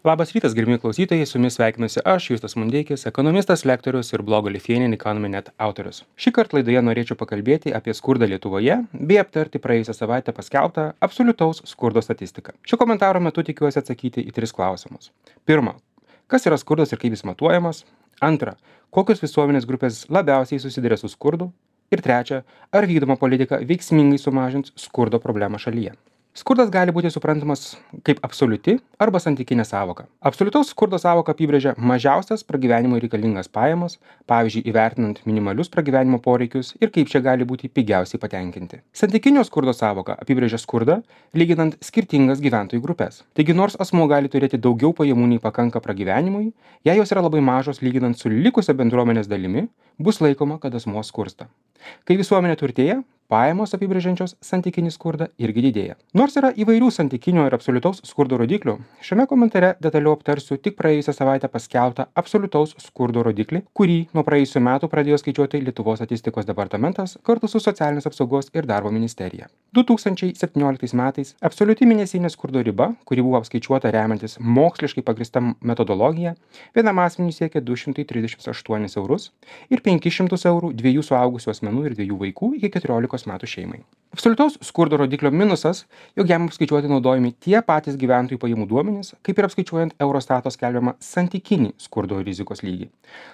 Labas rytas, gerbimi klausytojai, su jumis sveikinuosi aš, Justas Mundeikis, ekonomistas, lektorius ir blogo Lithuanian Economy Net autorius. Šį kartą laidoje norėčiau pakalbėti apie skurdą Lietuvoje bei aptarti praėjusią savaitę paskelbtą absoliutaus skurdo statistiką. Šio komentaro metu tikiuosi atsakyti į 3 klausimus. Pirma, kas yra skurdas ir kaip jis matuojamas? Antra, kokios visuomenės grupės labiausiai susiduria su skurdu? Ir trečia, ar vykdoma politika veiksmingai sumažins skurdo problemą šalyje? Skurdas gali būti suprantamas kaip absoliuti arba santykinė sąvoka. Absoliutaus skurdo sąvoka apibrėžia mažiausias pragyvenimui reikalingas pajamas, pavyzdžiui, įvertinant minimalius pragyvenimo poreikius ir kaip čia gali būti pigiausiai patenkinti. Santykinio skurdo sąvoka apibrėžia skurdą, lyginant skirtingas gyventojų grupės. Taigi nors asmuo gali turėti daugiau pajamų nei pakanka pragyvenimui, jei jos yra labai mažos lyginant su likusia bendruomenės dalimi, bus laikoma, kad asmuo skursta. Kai visuomenė turtėja, pajamos apibrėžiančios santykinį skurdą irgi didėja. Nors yra įvairių santykinio ir absoliutaus skurdo rodiklių, šiame komentare detaliau aptarsiu tik praėjusią savaitę paskelbtą absoliutaus skurdo rodiklį, kurį nuo praėjusių metų pradėjo skaičiuoti Lietuvos statistikos departamentas kartu su Socialinės apsaugos ir darbo ministerija. 2017 metais absoliuti mėnesinė skurdo riba, kuri buvo apskaičiuota remiantis moksliškai pagrįsta metodologija, vienam asmeniui siekia 238 eurus ir 500 eurų dviejų suaugusių asmenų ir dviejų vaikų iki 14 metų šeimai. Absoliutaus skurdo rodiklio minusas, jog jam apskaičiuoti naudojami tie patys gyventojų pajamų duomenys, kaip ir apskaičiuojant Eurostato skelbiamą santykinį skurdo rizikos lygį.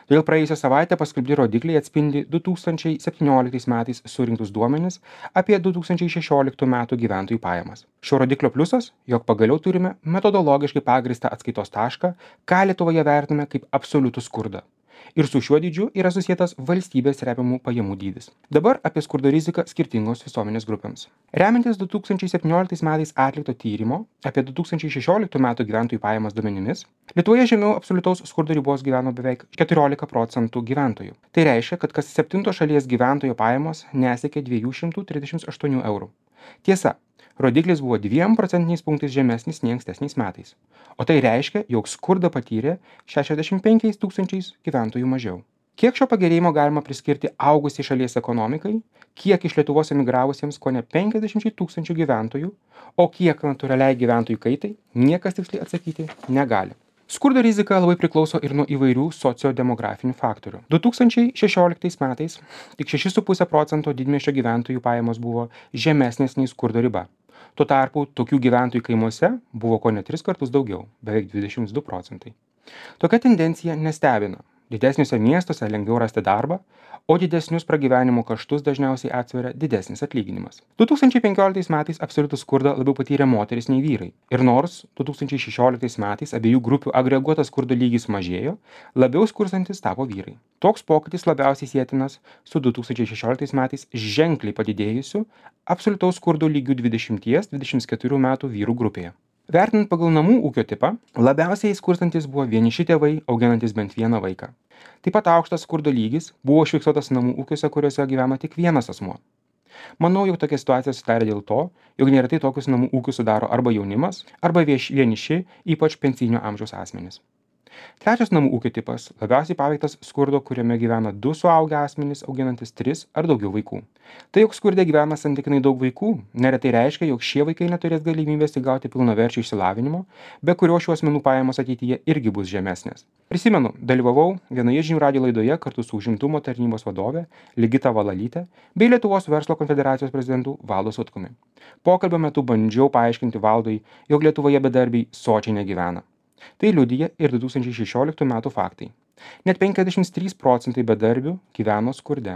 Todėl praėjusią savaitę paskelbti rodikliai atspindi 2017 metais surinktus duomenis apie 2016 metų gyventojų pajamas. Šio rodiklio pliusas, jog pagaliau turime metodologiškai pagrįstą atskaitos tašką, ką Lietuvoje vertiname kaip absoliutų skurdą. Ir su šiuo dydžiu yra susietas valstybės remiamų pajamų dydis. Dabar apie skurdo riziką skirtingos visuomenės grupėms. Remiantis 2017 metais atlikto tyrimo apie 2016 metų gyventojų pajamas duomenimis, Lietuvoje žemiau absoliutaus skurdo ribos gyveno beveik 14% gyventojų. Tai reiškia, kad kas 7 šalies gyventojo pajamos nesiekė 238 eurų. Tiesa, rodiklis buvo 2 procentiniais punktais žemesnis nei ankstesniais metais. O tai reiškia, jog skurdą patyrė 65 tūkstančiais gyventojų mažiau. Kiek šio pagerėjimo galima priskirti augusiai šalies ekonomikai, kiek iš Lietuvos emigravusiems kone 50 tūkstančių gyventojų, o kiek natūraliai gyventojų kaitai, niekas tiksliai atsakyti negali. Skurdo rizika labai priklauso ir nuo įvairių sociodemografinių faktorių. 2016 metais tik 6,5% didmiesčio gyventojų pajamos buvo žemesnės nei skurdo riba. Tuo tarpu tokių gyventojų kaimuose buvo kone 3 kartus daugiau, beveik 22%. Tokia tendencija nestebina. Didesniuose miestuose lengviau rasti darbą, o didesnius pragyvenimo kaštus dažniausiai atsveria didesnis atlyginimas. 2015 metais absoliutų skurdą labiau patyrė moteris nei vyrai. Ir nors 2016 metais abiejų grupių agreguotas skurdo lygis mažėjo, labiau skurstantis tapo vyrai. Toks pokytis labiausiai sietinas su 2016 metais ženkliai padidėjusiu absoliutaus skurdo lygiu 20-24 metų vyrų grupėje. Vertinant pagal namų ūkio tipą, labiausiai skurstantis buvo vieniši tėvai, auginantis bent vieną vaiką. Taip pat aukštas skurdo lygis buvo užfiksuotas namų ūkiuose, kuriuose gyvena tik vienas asmuo. Manau, jog tokia situacija susidarė dėl to, jog neretai tokius namų ūkius sudaro arba jaunimas, arba vieniši, ypač pensinio amžiaus asmenys. Trečias namų ūkio tipas labiausiai paveiktas skurdo, kuriame gyvena 2 suaugę asmenys, auginantis 3 ar daugiau vaikų. Tai, jog skurde gyvena santykinai daug vaikų, neretai reiškia, jog šie vaikai neturės galimybės įgauti pilnaverčio išsilavinimo, be kurio šių asmenų pajamos ateityje irgi bus žemesnės. Prisimenu, dalyvavau vienoje žinių radijo laidoje kartu su užimtumo tarnybos vadove Ligita Valalyte bei Lietuvos verslo konfederacijos prezidentu Valdu Sutkumi. Pokalbio metu bandžiau paaiškinti Valdui, jog Lietuvoje bedarbiai sočiai negyvena. Tai liudija ir 2016 metų faktai. Net 53% bedarbių gyveno skurde.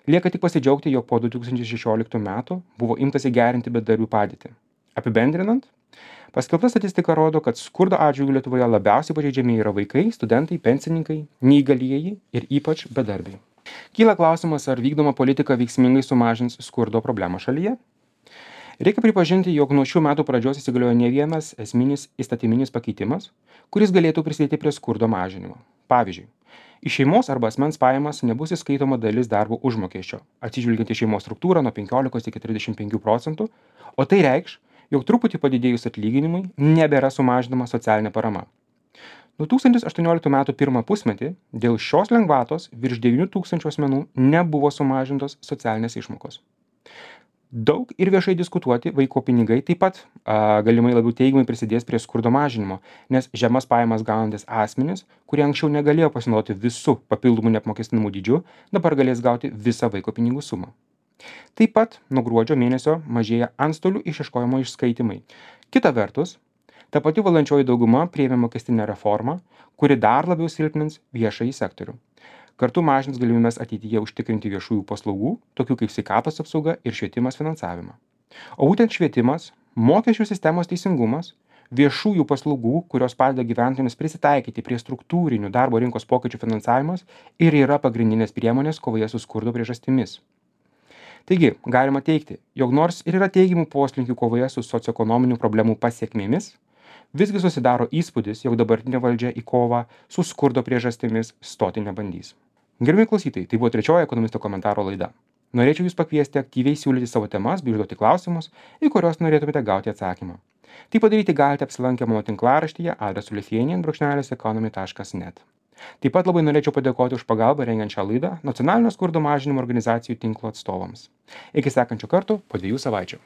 Lieka tik pasidžiaugti, jog po 2016 metų buvo imtasi gerinti bedarbių padėtį. Apibendrinant, paskelbta statistika rodo, kad skurdo atžvilgiu Lietuvoje labiausiai pažeidžiami yra vaikai, studentai, pensininkai, neįgalieji ir ypač bedarbiai. Kyla klausimas, ar vykdoma politika veiksmingai sumažins skurdo problemą šalyje? Reikia pripažinti, jog nuo šių metų pradžios įsigaliojo ne vienas esminis įstatyminis pakeitimas, kuris galėtų prisidėti prie skurdo mažinimo. Pavyzdžiui, iš šeimos arba asmens pajamas nebus įskaitoma dalis darbo užmokesčio, atsižvelgiant į šeimos struktūrą nuo 15 iki 35%, o tai reikš, jog truputį padidėjus atlyginimui nebėra sumažinama socialinė parama. 2018 metų pirmą pusmetį dėl šios lengvatos virš 9 tūkstančių asmenų nebuvo sumažintos socialinės išmokos. Daug ir viešai diskutuoti vaiko pinigai taip pat galimai labiau teigiamai prisidės prie skurdo mažinimo, nes žemas pajamas gaunantis asmenys, kurie anksčiau negalėjo pasinaudoti visų papildomų neapmokestinamų dydžių, dabar galės gauti visą vaiko pinigų sumą. Taip pat nuo gruodžio mėnesio mažėja antstolių išieškojimo išskaitimai. Kita vertus, ta pati valdančioji dauguma priėmė mokestinę reformą, kuri dar labiau silpnins viešąjį sektorių. Kartu mažins galimybės ateityje užtikrinti viešųjų paslaugų, tokių kaip sveikatos apsauga ir švietimas finansavimą. O būtent švietimas, mokesčių sistemos teisingumas, viešųjų paslaugų, kurios padeda gyventojams prisitaikyti prie struktūrinių darbo rinkos pokyčių finansavimas ir yra pagrindinės priemonės kovoje su skurdo priežastimis. Taigi, galima teigti, jog nors ir yra teigiamų poslinkių kovoje su socioekonominių problemų pasiekmėmis, visgi susidaro įspūdis, jog dabartinė valdžia į kovą su skurdo priežastimis stoti nebandys. Gerbiami klausytojai, tai buvo trečioji ekonomisto komentaro laida. Norėčiau Jūs pakviesti aktyviai siūlyti savo temas bei užduoti klausimus, į kuriuos norėtumėte gauti atsakymą. Tai padaryti galite apsilankę mano tinklaraštyje adresu lithuanian-economy.net. Taip pat labai norėčiau padėkoti už pagalbą rengiant šią laidą nacionalinio skurdo mažinimo organizacijų tinklo atstovams. Iki sekančio karto po 2 savaičių.